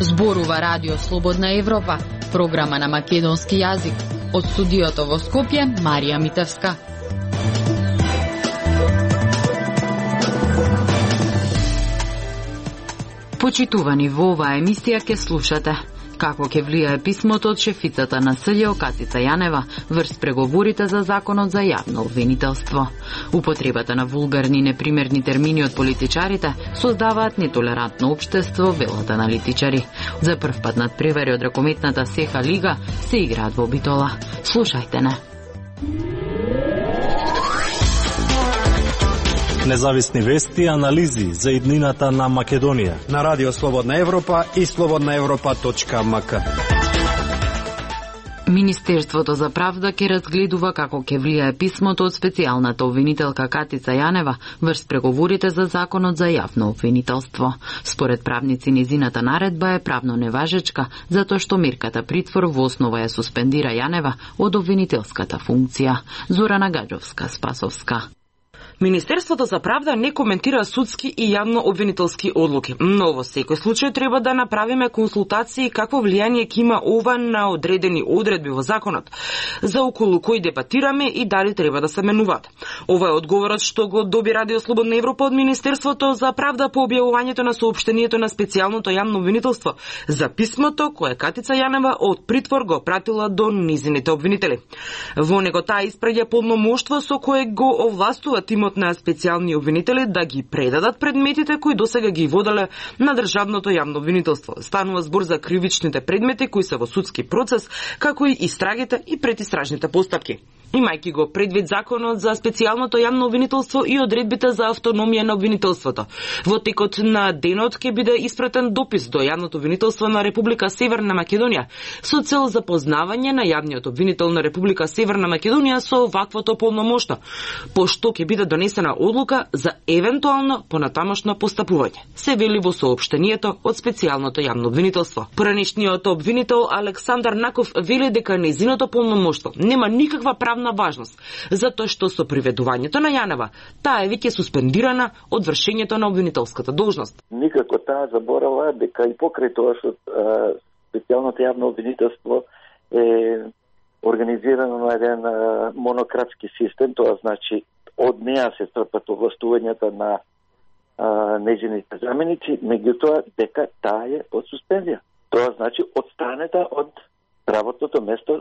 Зборува Радио Слободна Европа, програма на македонски јазик. Од студиото во Скопје, Марија Митевска. Почитувани, во оваа емисија ќе слушате како ќе влијае писмото од шефицата на СЈО Катица Јанева врз преговорите за законот за јавно обвинителство. Употребата на вулгарни непримерни термини од политичарите создаваат нетолерантно општество, велат аналитичари. За прв пат надпревари од ракометната СЕХА лига се играат во Битола. Слушајте не. Независни вести и анализи за иднината на Македонија на Радио Слободна Европа и slobodnaevropa.mk. Министерството за правда ќе разгледува како ќе влијае писмото од специјалната обвинителка Катица Јанева врз преговорите за законот за јавно обвинителство. Според правници, незината наредба е правно неважечка, затоа што мерката притвор во основа ја суспендира Јанева од обвинителската функција. Зорана Гаджовска-Спасовска. Министерството за правда не коментира судски и јавно обвинителски одлуки, но во секој случај треба да направиме консултации какво влијание ќе има ова на одредени одредби во законот, за околу кој дебатираме и дали треба да се менуваат. Ова е одговорот што го доби Радио Слободна Европа од Министерството за правда по објавувањето на соопштението на специјалното јавно обвинителство за писмото кое Катица Јанева од притвор го пратила до низините обвинители. Во него таа испраќа полномоштво со кое го овластува тимот на специјални обвинители да ги предадат предметите кои досега ги воделе на државното јавно обвинителство. Станува збор за кривичните предмети кои се во судски процес, како и истрагите и предистражните постапки. Имајќи го предвид законот за специјалното јавно обвинителство и одредбите за автономија на обвинителството. Во текот на денот ќе биде испратен допис до јавното обвинителство на Република Северна Македонија со цел запознавање на јавниот обвинител на Република Северна Македонија со ваквото полномошно, пошто ќе биде донесена одлука за евентуално понатамошно постапување, се вели во соопштението од специјалното јавно обвинителство. Поранешниот обвинител Александар Наков вели дека нејзиното полномоштво нема никаква правна важност, затоа што со приведувањето на Јанева таа е веќе суспендирана од вршењето на обвинителската должност. Никако таа заборава дека и покрај тоа што специјалното јавно обвинителство е организирано на еден монократски систем, тоа значи од неа се трпат овластувањата на нејзините заменици, меѓутоа дека таа е под суспензија. Тоа значи одстранета од работното место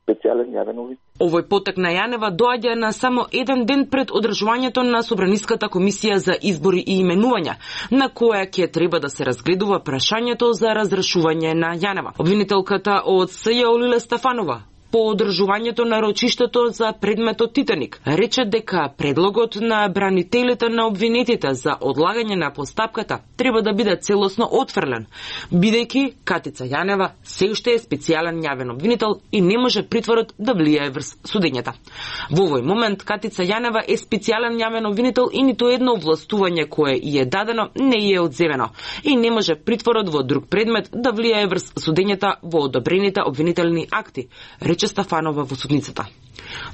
специјален јавен обвинител. Овој потек на Јанева доаѓа на само еден ден пред одржувањето на Собраниската комисија за избори и именувања, на која ќе треба да се разгледува прашањето за разрешување на Јанева. Обвинителката од СЈО Лиле Стефанова по одржувањето на рочиштето за предметот Титаник рече дека предлогот на бранителите на обвинетите за одлагање на постапката треба да биде целосно отфрлен, бидејќи Катица Јанева се уште е специјален јавен обвинител и не може притворот да влијае врз судењата. Во овој момент Катица Јанева е специјален јавен обвинител и ниту едно овластување кое ја е дадено не е одземено и не може притворот во друг предмет да влијае врз судењата во одобрените обвинителни акти, рече Стефанова во судницата.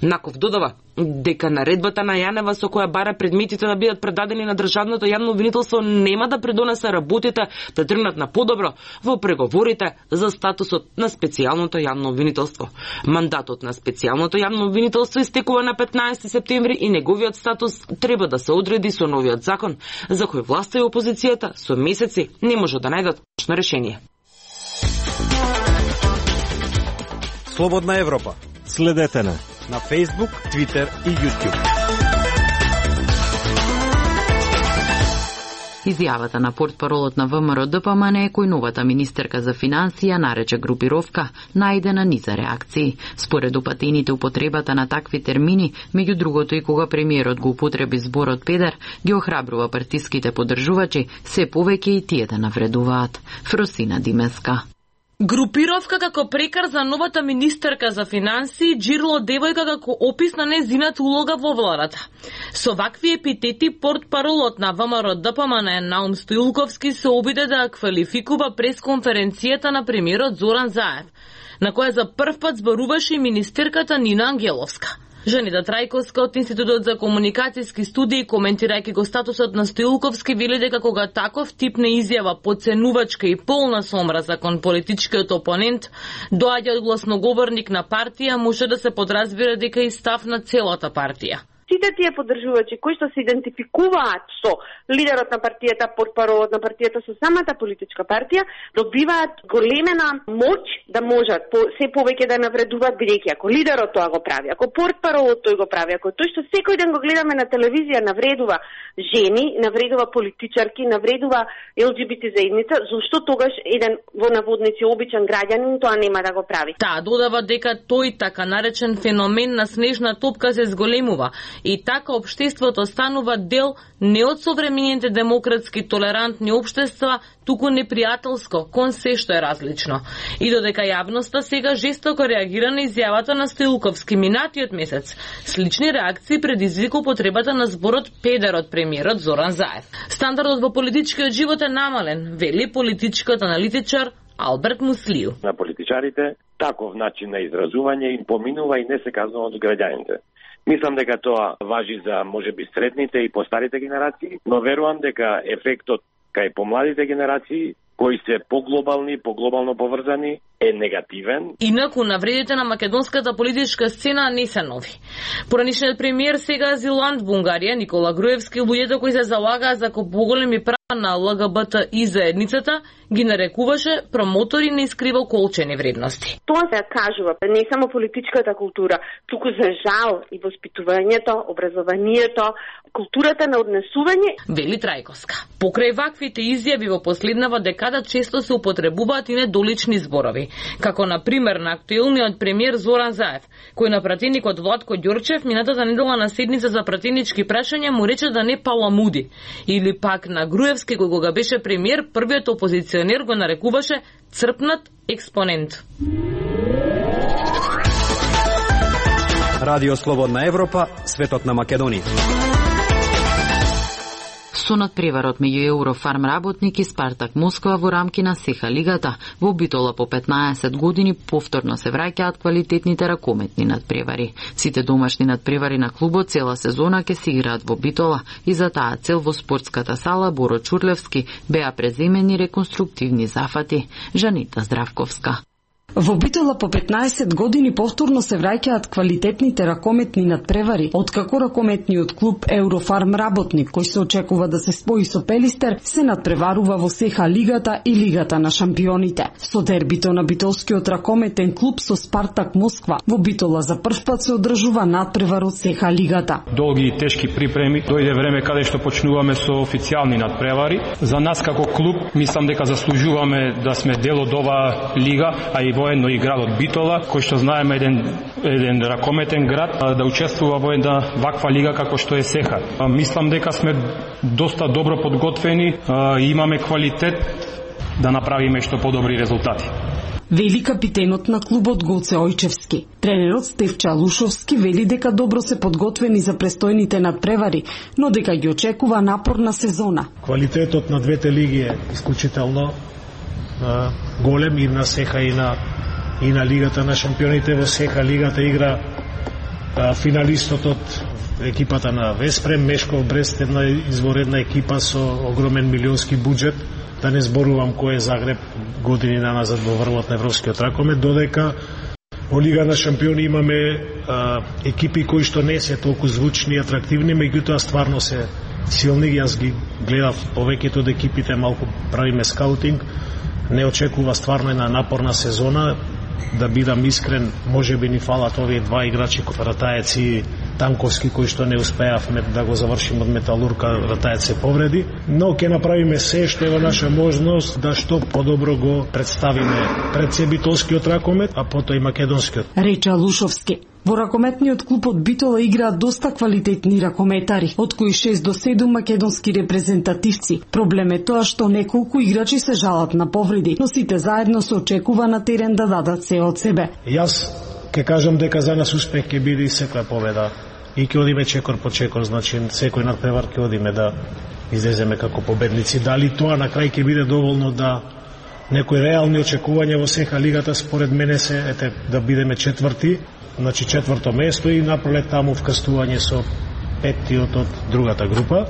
Наков додава дека наредбата на Јанева со која бара предметите да бидат предадени на државното јавно обвинителство нема да придонесе работите да тргнат на подобро во преговорите за статусот на специјалното јавно обвинителство. Мандатот на специјалното јавно обвинителство истекува на 15 септември и неговиот статус треба да се одреди со новиот закон, за кој власта и опозицијата со месеци не може да најдат точно решение. Слободна Европа. Следете на Facebook, Twitter и YouTube. Изјавата на портпаролот на ВМРО ДПМН е кој новата министерка за финансија нарече групировка најдена низа реакции. Според упатените употребата на такви термини, меѓу другото и кога премиерот го употреби зборот педер, ги охрабрува партиските поддржувачи, се повеќе и тие да навредуваат. Фросина Димеска. Групировка како прекар за новата министерка за финансии, Џирло девојка како опис на незината улога во владата. Со вакви епитети портпаролот на ВМРО ДПМН Наум Стоилковски се обиде да квалификува пресконференцијата на премиерот Зоран Заев, на која за прв пат зборуваше и министерката Нина Ангеловска. Жанита Трајковска од Институтот за комуникацијски студии, коментирајќи го статусот на Стоилковски, вели дека кога таков тип на изјава подценувачка и полна со омраза кон политичкиот опонент доаѓа од гласноговорник на партија, може да се подразбира дека и став на целата партија. Сите тие поддржувачи кои што се идентификуваат со лидерот на партијата, портпаролот на партијата, со самата политичка партија, добиваат големена моќ да можат се повеќе да навредуваат, бидејќи ако лидерот тоа го прави, ако портпаролот тој го прави, ако тој што секој ден го гледаме на телевизија навредува жени, навредува политичарки, навредува ЛГБТ заедница, зошто тогаш еден во наводници обичен граѓанин тоа нема да го прави? Таа додава дека тој така наречен феномен на снежна топка се зголемува и така општеството станува дел не од современите демократски толерантни општества, туку непријателско кон се што е различно. И додека јавноста сега жестоко реагира на изјавата на Стоилковски минатиот месец, слични реакции предизвика употребата на зборот педер од премиерот Зоран Заев. Стандардот во политичкиот живот е намален, вели политичкиот аналитичар Алберт Муслију. На политичарите таков начин на изразување им поминува и не се казнува од граѓаните. Мислам дека тоа важи за можеби средните и постарите генерации, но верувам дека ефектот кај помладите генерации кои се поглобално поврзани, е негативен. Инаку, навредите на македонската политичка сцена не се нови. Поранишниот премиер, сега азилант во Унгарија, Никола Груевски, луѓето кои се залагаат за поголеми права на ЛГБТ и заедницата, ги нарекуваше промотори на искривоколчени вредности. Тоа се кажува не само политичката култура, туку за жал и воспитувањето, образованието, културата на однесување. Вели Трајковска. Покрај ваквите изјави во последнава декада често се употребуваат и недолични зборови, како на пример на актуелниот премиер Зоран Заев, кој на пратеникот Владко Ѓорчев минатата недела на седница за пратенички прашања му рече да не паламуди, или пак на Груевски кој кога беше премиер, првиот опозиционер го нарекуваше црпнат експонент. Радио Слободна Европа, светот на Македонија. Со надпреварот меѓу Еврофарм работник и Спартак Москва во рамки на СЕХА лигата, во Битола по 15 години повторно се враќаат квалитетните ракометни надпревари. Сите домашни надпревари на клубот цела сезона ќе се играат во Битола и за таа цел во спортската сала Боро Чурлевски беа преземени реконструктивни зафати. Жанита Здравковска. Во Битола по 15 години повторно се враќаат квалитетните ракометни надпревари, откако ракометниот клуб Еврофарм работник, кој се очекува да се спои со Пелистер, се надпреварува во СЕХА лигата и Лигата на шампионите. Со дербито на битолскиот ракометен клуб со Спартак Москва, во Битола за првпат се одржува надпревар од СЕХА лигата. Долги и тешки припреми, дојде време каде што почнуваме со официјални надпревари. За нас како клуб, мислам дека заслужуваме да сме дел од оваа лига, а и воедно и градот Битола, кој што знаеме еден ракометен град, да учествува во една ваква лига како што е СЕХА. Мислам дека сме доста добро подготвени и имаме квалитет да направиме што подобри резултати. Вели капитенот на клубот Гоце Ојчевски. Тренерот Стефча Лушовски вели дека добро се подготвени за престојните надпревари, но дека ги очекува напорна сезона. Квалитетот на двете лиги е исклучително голем и на СЕХА и на Лигата на шампионите. Во СЕХА лигата игра финалистот од екипата на Веспрем, Мешков Брест, една изворедна екипа со огромен милионски буџет. Да не зборувам кој е Загреб години наназад во врвот на европскиот ракомет, додека во Лига на шампиони имаме екипи кои што не се толку звучни и атрактивни, меѓутоа стварно се силни. Јас ги гледав повеќето од екипите, малку правиме скаутинг. Не очекува стварно една напорна сезона. Да бидам искрен, можеби ни фалат овие два играчи, Ратаец и Танковски, кои што не успеавме да го завршим од Металурка. Ратаец се повреди, но ќе направиме се што е во наша можност да што подобро го представиме пред се битолскиот ракомет, а потоа и македонскиот. Рече Лушовски. Во ракометниот клуб од Битола играат доста квалитетни ракометари, од кои 6 до 7 македонски репрезентативци. Проблем е тоа што неколку играчи се жалат на повреди, но сите заедно се очекува на терен да дадат се од себе. Јас ќе кажам дека за нас успех ќе биде и секоја победа. И ќе одиме чекор по чекор, значи секој надпревар ќе одиме да излеземе како победници. Дали тоа на крај ќе биде доволно да некои реални очекувања во СЕХА лигата, според мене се да бидеме четврти, значи 4-то место и напролет таму вкастување со 5-тиот од другата група.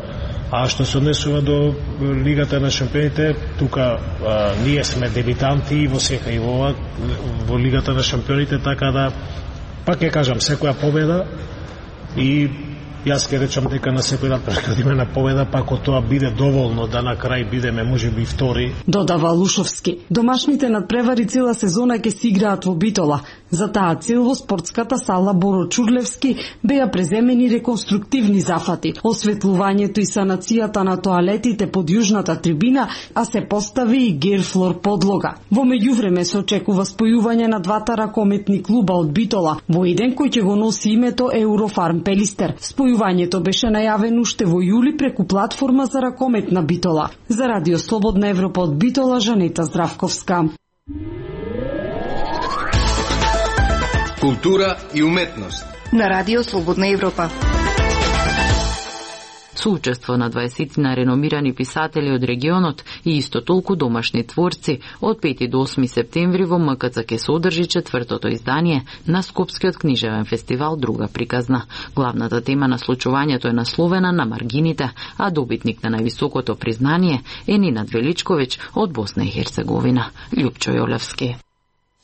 А што се однесува до Лигата на шампионите, тука ние сме дебитанти во сека и во Лигата на шампионите, така да пак ќе кажам секоја победа и јас ќе речам дека на секој надпревар имена победа, па ако тоа биде доволно да на крај бидеме можеби втори. Додава Лушовски. Домашните надпревари цела сезона ќе се играат во Битола. За таа цел во спортската сала Боро Чурлевски беа преземени реконструктивни зафати, осветлувањето и санацијата на тоалетите под јужната трибина, а се постави и герфлор подлога. Во меѓувреме се очекува спојување на двата ракометни клуба од Битола во еден кој ќе го носи името Еврофарм Пелистер. Спојувањето беше најавено уште во јули преку платформа за ракомет на Битола. За Радио Слободна Европа од Битола, Жанета Здравковска. Култура и уметност на Радио Слободна Европа. Соучество на 20 на реномирани писатели од регионот и исто толку домашни творци од 5 до 8 септември во МКЦ ќе се одржи 4-то издание на Скопскиот книжевен фестивал Друга приказна. Главната тема на случувањето е насловена на маргините, а добитник на највисокото признание е Нинат Величковиќ од Босна и Херцеговина. Љупчо Јолевски.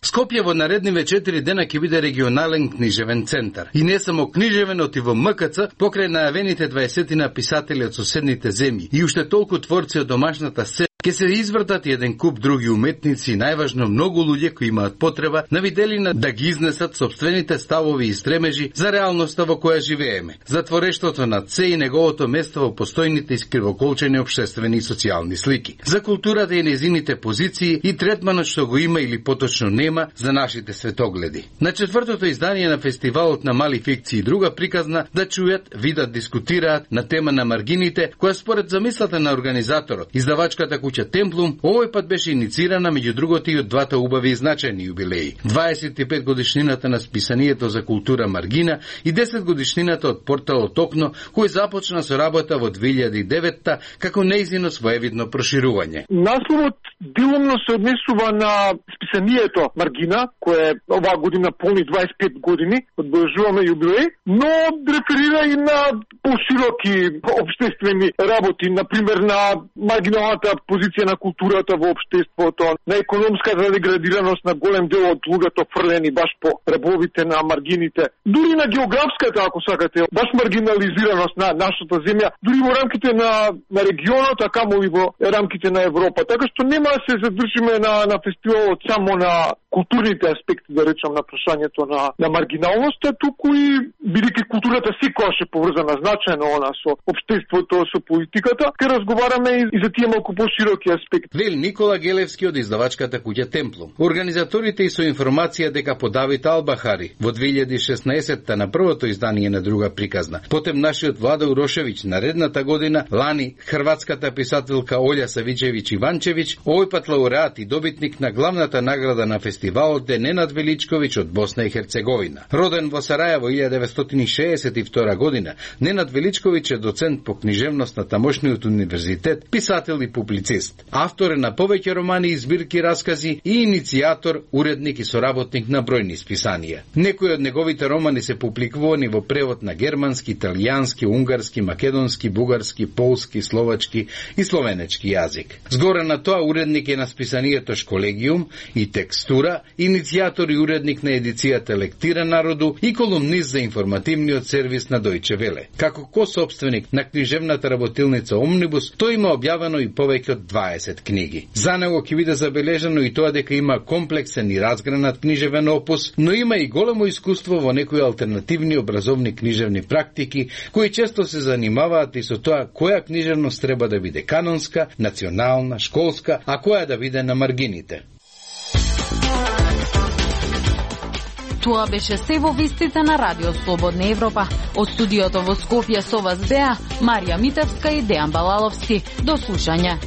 Скопје во наредниве 4 дена ќе биде регионален книжевен центар. И не само книжевен, оти во МКЦ, покрај најавените 20 писатели од соседните земји и уште толку творци од домашната сцена, ќе се извртат еден куп други уметници и најважно многу луѓе кои имаат потреба на виделина да ги изнесат собствените ставови и стремежи за реалноста во која живееме, за творештвото на Це и неговото место во постојните искривоколчени општествени и социјални слики, за културата и незините позиции и третманот што го има или поточно нема за нашите светогледи. На 4-то издание на фестивалот на мали фикции и друга приказна да чујат, видат, дискутираат на тема на маргините, која според замислата на организаторот, издавачката куќа Темплум, овој пат беше иницирана меѓу другото и од двата убави и значајни јубилеи. 25 годишнината на списанието за култура Маргина и 10 годишнината од порталот Окно, кој започна со работа во 2009 како нејзино своевидно проширување. Насловот делумно се однесува на списанието Маргина, кое оваа година полни 25 години, одбележуваме јубилеј, но реферира и на пошироки општествени работи, например на маргиналната позиција на културата во општеството, на економската деградираност на голем дел од луѓето фрлени баш по рабовите на маргините, дури на географската, ако сакате, баш маргинализираност на нашата земја, дури во рамките на регионот, а камо и во рамките на Европа. Така што нема да се задржиме на фестивалот само на културните аспекти, да речам, на прашањето на маргиналноста, туку и бидејќи културата секогаш е поврзана значајно со општеството, со политиката, ке разговараме и за тие малку широки аспекти. Вел Никола Гелевски од издавачката куќа Темплум. Организаторите и со информација дека по Давид Албахари во 2016 на првото издание на Друга приказна, потем нашиот Владо Урошевиќ наредната година, лани хрватската писателка Олја Савичевиќ Иванчевиќ, овој пат лауреат и добитник на главната награда на фестивалот е Ненад Величковиќ од Босна и Херцеговина. Роден во Сарајево 1962 година, Ненад Величковиќ е доцент по книжевност на тамошниот универзитет, писател и публицист. Автор е на повеќе романи и збирки раскази и иницијатор, уредник и соработник на бројни списанија. Некои од неговите романи се публикувани во превод на германски, италијански, унгарски, македонски, бугарски, полски, словачки и словенечки јазик. Згоре на тоа уредник е на списанието Школегиум и Текстура, иницијатор и уредник на едицијата Лектира народу и колумнист за информативниот сервис на Дојче Веле. Како кособственик на книжевната работилница Омнибус, тој има објавено и повеќе од 20 книги. За него ќе биде забележано и тоа дека има комплексен и разгранат книжевен опус, но има и големо искуство во некои алтернативни образовни книжевни практики, кои често се занимаваат и со тоа која книжевност треба да биде канонска, национална, школска, а која да биде на маргините. Тоа беше се во вистите на Радио Слободна Европа. Од студиото во Скопје со вас беа Марија Митевска и Дејан Балаловски. До слушање.